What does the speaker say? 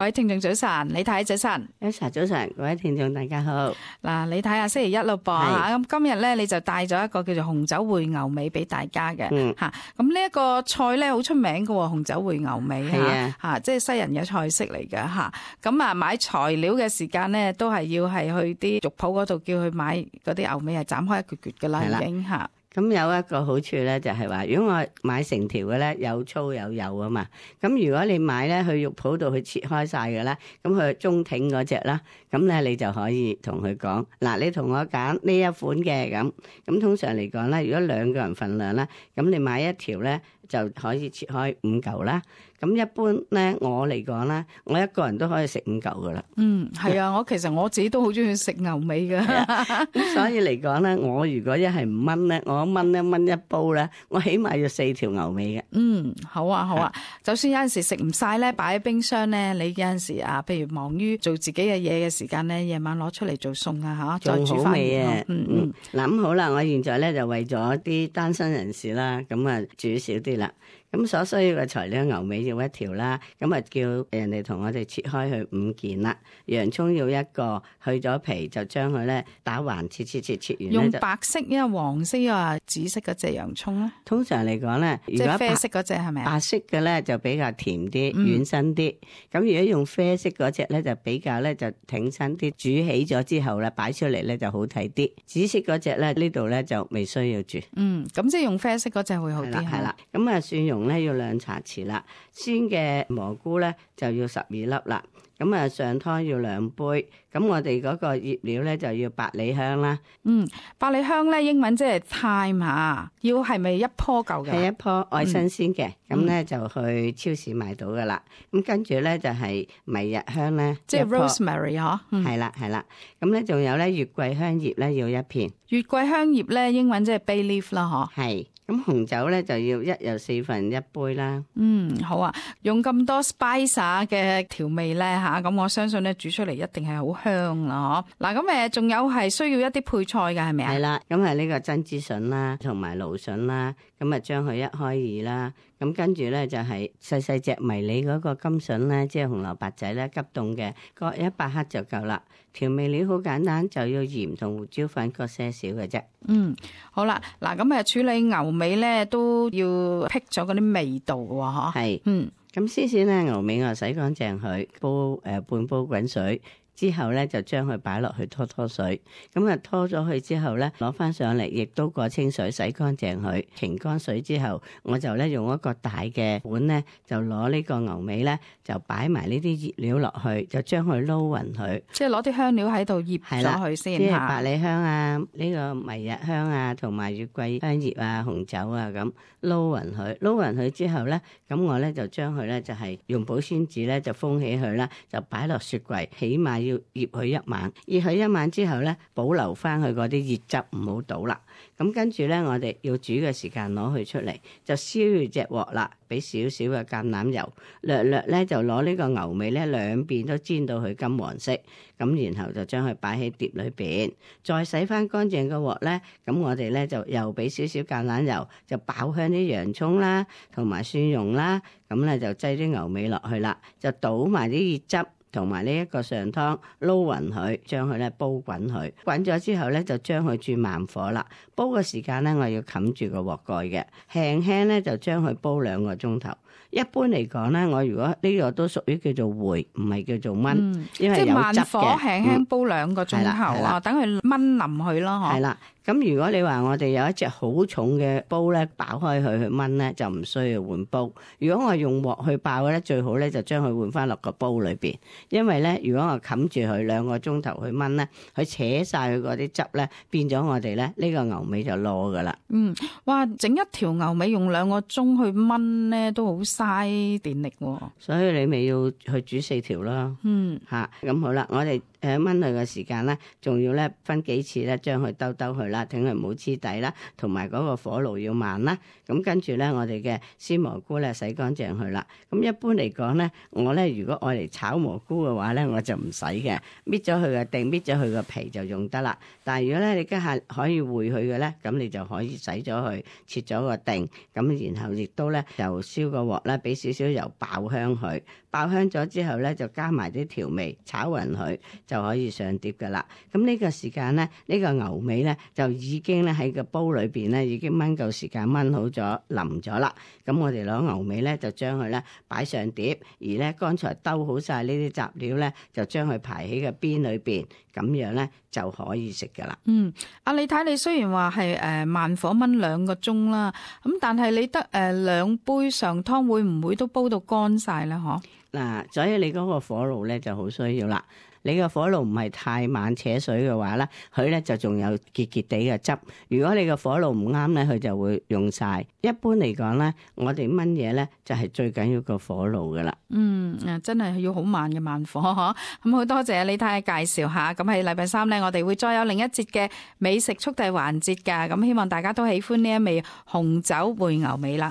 各位聽眾早晨，李太早晨。早晨，各位聽眾大家好。嗱，李太啊，星期一咯噃吓，咁今日咧你就帶咗一個叫做紅酒燴牛尾俾大家嘅吓。咁呢一個菜咧好出名嘅，紅酒燴牛尾吓，即係西人嘅菜式嚟嘅吓。咁啊，買材料嘅時間咧都係要係去啲肉鋪嗰度叫佢買嗰啲牛尾係斬開一橛橛噶啦，已經吓。咁有一個好處咧，就係話，如果我買成條嘅咧，有粗有幼啊嘛。咁如果你買咧去肉鋪度去切開晒嘅咧，咁佢中挺嗰隻啦，咁咧你就可以同佢講，嗱，你同我揀呢一款嘅咁。咁通常嚟講咧，如果兩個人份量啦，咁你買一條咧就可以切開5嚿啦。咁一般咧，我嚟講咧，我一個人都可以食5嚿噶啦。係啊，其實我自己都好中意食牛尾噶。咁所以嚟講咧，我如果一係唔炆咧，我炆一煲咧，我起碼要4條牛尾嘅。好啊。就算有陣時食唔晒咧，擺喺冰箱咧，你有陣時啊，譬如忙於做自己嘅嘢嘅時間咧，夜晚攞出嚟做餸啊吓，再煮翻。嗱，咁好啦，我現在咧就為咗啲單身人士啦，咁啊煮少啲啦。咁所需要嘅材料，牛尾要1條啦，咁啊叫人哋同我哋切開去5件啦。洋蔥要1個，去咗皮就將佢咧打橫切完。用白色因為黃色啊紫色嗰隻洋蔥咧。通常嚟講咧，即係啡色嗰隻係咪啊？白色嘅咧就比較甜啲、軟身啲。咁如果用啡色嗰隻咧就比較咧就挺身啲，煮起咗之後咧擺出嚟咧就好睇啲。紫色嗰隻咧呢度咧就未需要煮。咁即係用啡色嗰隻會好啲。係啦，咁啊蒜蓉咧要2茶匙啦，鮮嘅蘑菇咧就要12粒啦，咁啊上湯要2杯，咁我哋嗰個醃料咧就要百里香啦。百里香咧英文即係 thyme 吓，要係咪一棵舊嘅？係一棵愛新鮮嘅，咁咧就去超市買到噶啦。咁跟住咧就係迷日香咧，即係 rosemary 嗬。係啦，咁咧仲有咧月桂香葉咧要1片。月桂香葉咧英文即係 bay leaf 啦，嗬。係。咁紅酒咧就要1又1/4杯啦。好啊，用咁多 spice 嘅調味咧吓，咁我相信咧煮出嚟一定係好香啦，嗬。嗱，咁仲有係需要一啲配菜嘅係咪啊？係啦，咁係呢個珍珠筍啦，同埋蘆筍啦，咁啊將佢1開2啦。咁跟住咧就係細細隻迷你嗰個金筍咧，即係紅蘿蔔仔咧，急凍嘅，各100克就夠啦。調味料好簡單，就要鹽同胡椒粉各些少嘅啫。好啦，嗱咁處理牛尾咧都要辟咗嗰啲味道喎，嗬。係，咁先先咧牛尾我洗乾淨佢，煲半煲滾水。之後咧就將佢擺落去拖水，咁啊拖咗佢之後咧攞翻上嚟，亦都過清水洗乾淨佢，擎乾水之後，我就咧用一個大嘅碗咧，就攞呢個牛尾咧就擺埋呢啲醃料落去，就將佢撈勻佢。即係攞啲香料喺度醃咗佢先。即係百里香啊，呢個迷日香啊，同埋月桂香葉啊、紅酒啊咁撈勻佢。撈勻佢之後咧，咁我咧就將佢咧就係用保鮮紙咧就封起佢啦，就擺落雪櫃，起碼要醃佢1晚，醃佢1晚之後咧，保留翻佢嗰啲熱汁，唔好倒啦。咁跟住咧，我哋要煮嘅時間攞佢出嚟，就燒住隻鑊啦，俾少少嘅橄欖油，略咧就攞呢個牛尾咧兩邊都煎到佢金黃色，咁然後就將佢擺喺碟裏邊，再洗翻乾淨個鑊咧，咁我哋咧就又俾少少橄欖油，就爆香啲洋葱啦，同埋蒜蓉啦，咁咧就擠啲牛尾落去啦，就倒埋啲熱汁。同埋呢一個上湯撈勻佢，將佢咧煲滾佢，滾咗之後咧就將佢轉慢火啦。煲嘅時間咧我要冚住個鑊蓋嘅，輕輕咧就將佢煲2個鐘頭。一般嚟講咧，我如果呢個都屬於叫做回，唔係叫做燜，因為有汁嘅。即係慢火輕輕煲2個鐘頭啊，等佢燜腍佢咯，嗬。係啦。咁如果你話我哋有一隻好重嘅煲咧，爆開佢去燜咧，就唔需要換煲。如果我用鑊去爆咧，最好咧就將佢換翻落個煲裏邊，因為咧如果我冚住佢2個鐘頭去燜咧，佢扯晒佢嗰啲汁咧，變咗我哋咧呢個牛尾就攞噶啦。哇！整一條牛尾用2個鐘去燜咧，都好嘥電力喎。所以你咪要去煮4條咯。咁好啦，我哋燜佢嘅時間咧，仲要咧分幾次咧，將佢兜佢啦，等佢唔好黐底啦，同埋嗰個火爐要慢啦。咁跟住咧，我哋嘅鮮蘑菇咧洗乾淨佢啦。咁一般嚟講咧，我咧如果愛嚟炒蘑菇嘅話咧，我就唔使嘅，搣咗佢嘅頂，搣咗佢個皮就用得啦。但係如果咧你家下可以燴佢嘅咧，咁你就可以洗咗佢，切咗個頂，咁然後亦都咧就燒個鑊啦，俾少少油爆香佢，爆香咗之後咧，就加埋啲調味，炒勻佢就可以上碟噶啦。咁呢個時間咧，呢個牛尾咧就已經咧喺個煲裏邊咧已經燜夠時間燜好咗腍咗啦。咁我哋攞牛尾咧就將佢咧擺上碟，而咧剛才兜好晒呢啲雜料咧，就將佢排喺個邊裏邊，咁樣咧就可以食噶啦。阿李太，你雖然話係慢火燜2個鐘啦，咁但係你得2杯上湯，會唔會都煲到乾晒咧？嗬？嗱，所以你嗰個火爐咧就好需要啦。你個火爐唔係太猛扯水嘅話咧，佢咧就仲有結結地嘅汁。如果你個火爐唔啱咧，佢就會用晒。一般嚟講咧，我哋燜嘢咧就係最緊要個火爐噶啦。真係要好慢嘅慢火嗬。咁好多謝李太介紹下。咁喺禮拜3咧，我哋會再有另一節嘅美食速遞環節噶。咁希望大家都喜歡呢一味紅酒燴牛尾啦。